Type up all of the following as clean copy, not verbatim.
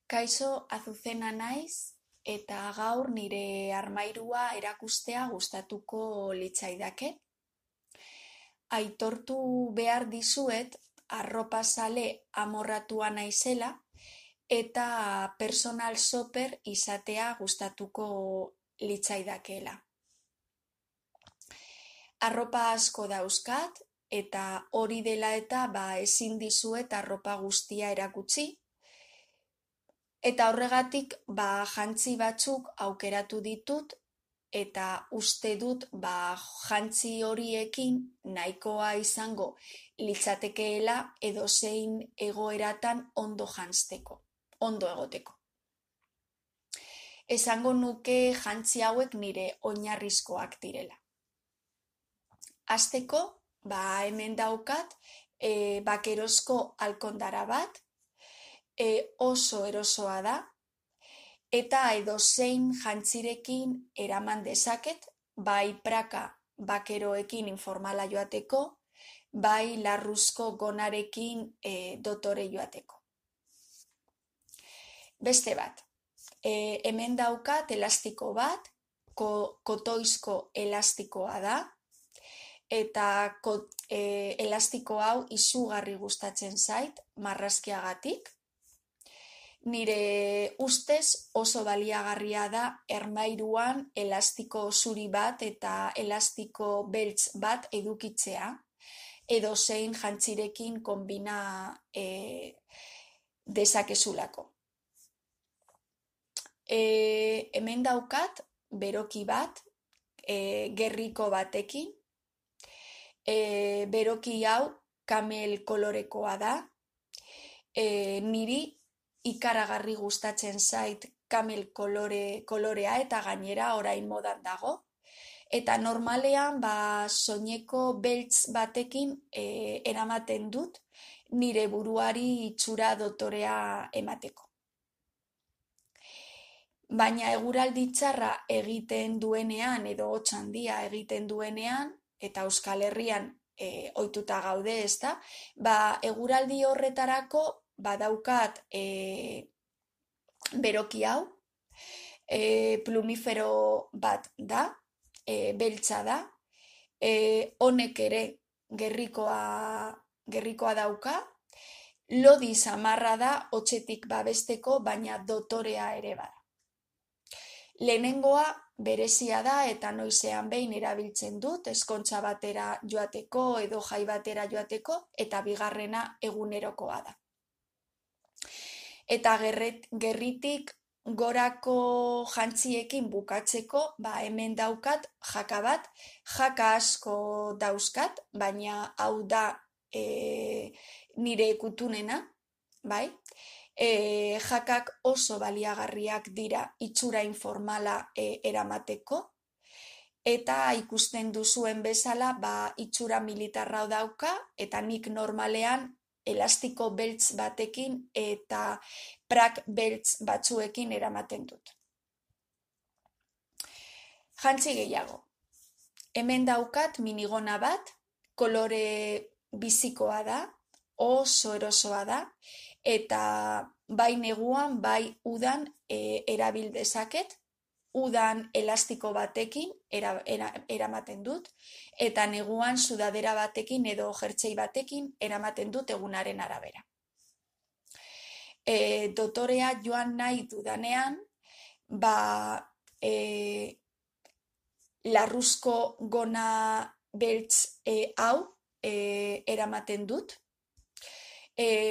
Kaixo, Azuzena naiz eta gaur nire armairua erakustea gustatuko litzaidake. Aitortu behar dizuet arropazale amorratua naizela eta personal shopper izatea gustatuko litzaidakeela. Arropa asko dauzkat eta hori dela eta ezin dizuet arropa guztia erakutsi. Eta horregatik jantzi batzuk aukeratu ditut eta uste dut jantzi horiekin nahikoa izango litzatekeela edozein egoeratan ondo janzteko, ondo egoteko. Esango nuke jantzi hauek nire oinarrizkoak direla. Hasteko, hemen daukat bakerozko alkondara bat, oso erosoa da, eta edozein jantzirekin eraman dezaket, bai praka bakeroekin informala joateko, bai larruzko gonarekin dotore joateko. Beste bat, hemen daukat elastiko bat, kotoizko elastikoa da, eta elastiko hau izugarri gustatzen zait, marrazkiagatik. Nire ustez oso baliagarria da armairuan elastiko zuri bat eta elastiko beltz bat edukitzea, edozein jantzirekin konbina dezakezulako. Hemen daukat beroki bat, gerriko batekin. Beroki hau kamel kolorekoa da. Niri ikaragarri gustatzen zait kamel kolorea eta gainera orain modan dago. Eta normalean soineko beltz batekin eramaten dut nire buruari itxura dotorea emateko. Baina eguraldi txarra egiten duenean edo hotz handia egiten duenean, eta Euskal Herrian ohituta gaude, ezta? Eguraldi horretarako badaukat beroki hau, plumifero bat da, beltza da, honek ere gerrikoa dauka, lodi samarra da hotzetik babesteko, baina dotorea ere bada. Lehenengoa berezia da eta noizean behin erabiltzen dut, ezkontza batera joateko edo jai batera joateko, eta bigarrena egunerokoa da. Eta gerritik gorako jantziekin bukatzeko, hemen daukat jaka bat, jaka asko dauzkat, baina hau da nire kutunena, bai? Jakak oso baliagarriak dira itxura informala eramateko, eta ikusten duzuen bezala itxura militarra dauka, eta nik normalean elastiko beltz batekin eta prak beltz batzuekin eramaten dut. Jantzi gehiago. Hemen daukat minigona bat, kolore bizikoa da, oso erosoa da, eta bai neguan, bai udan erabil dezaket, udan elastiko batekin eramaten dut, eta neguan sudadera batekin edo jertsei batekin eramaten dut egunaren arabera. Dotorea joan nahi dudanean, larruzko gona beltz hau eramaten dut,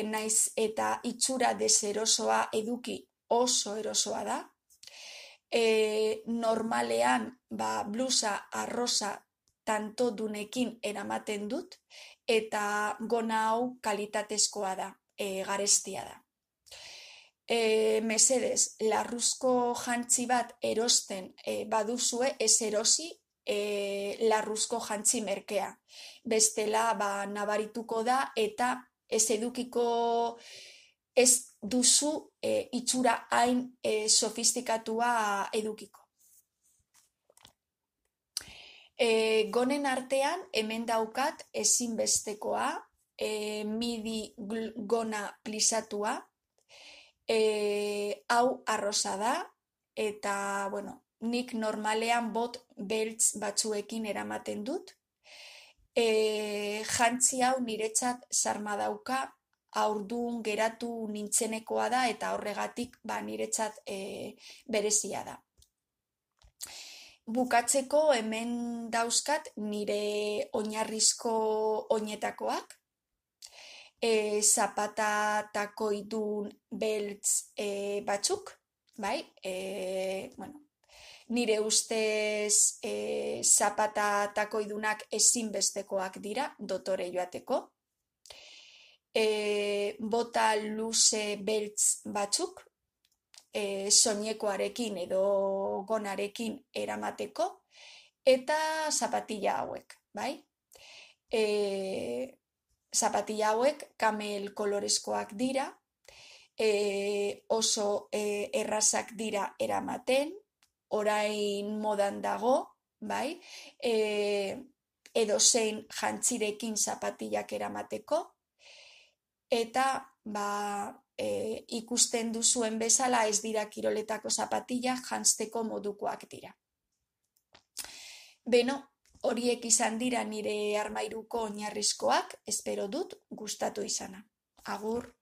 naiz eta itxura deserosoa eduki oso erosoa da. Normalean blusa arrosa tantodunekin eramaten dut, eta gona hau kalitatezkoa da, garestia da. Mesedez, larruzko jantzi bat erosten baduzue, ez erosi larruzko jantzi merkea. Bestela nabarituko da eta ez edukiko, ez duzu itxura hain sofistikatua edukiko. Gonen artean hemen daukat ezinbestekoa, midi gona plisatua, Hau arrosa da, eta, bueno, nik normalean bot beltz batzuekin eramaten dut. Jantzi hau niretzat sarma dauka, haurdun geratu nintzenekoa da, eta horregatik niretzat berezia da. Bukatzeko hemen dauzkat nire oinarrizko oinetakoak, zapata takoidun beltz batzuk, bai? Bueno, nire ustez zapata takoidunak ezinbestekoak dira dotore joateko. Bota luze beltz batzuk, soinekoarekin edo gonarekin eramateko, eta zapatilla hauek, bai? Zapatilla hauek kamel kolorezkoak dira, oso errazak dira eramaten, orain modan dago, bai? Edozein jantzirekin zapatillak eramateko, eta ikusten duzuen bezala ez dira kiroletako zapatillak, janzteko modukoak dira. Beno, horiek izan dira nire armairuko oinarrizkoak, espero dut gustatu izana. Agur!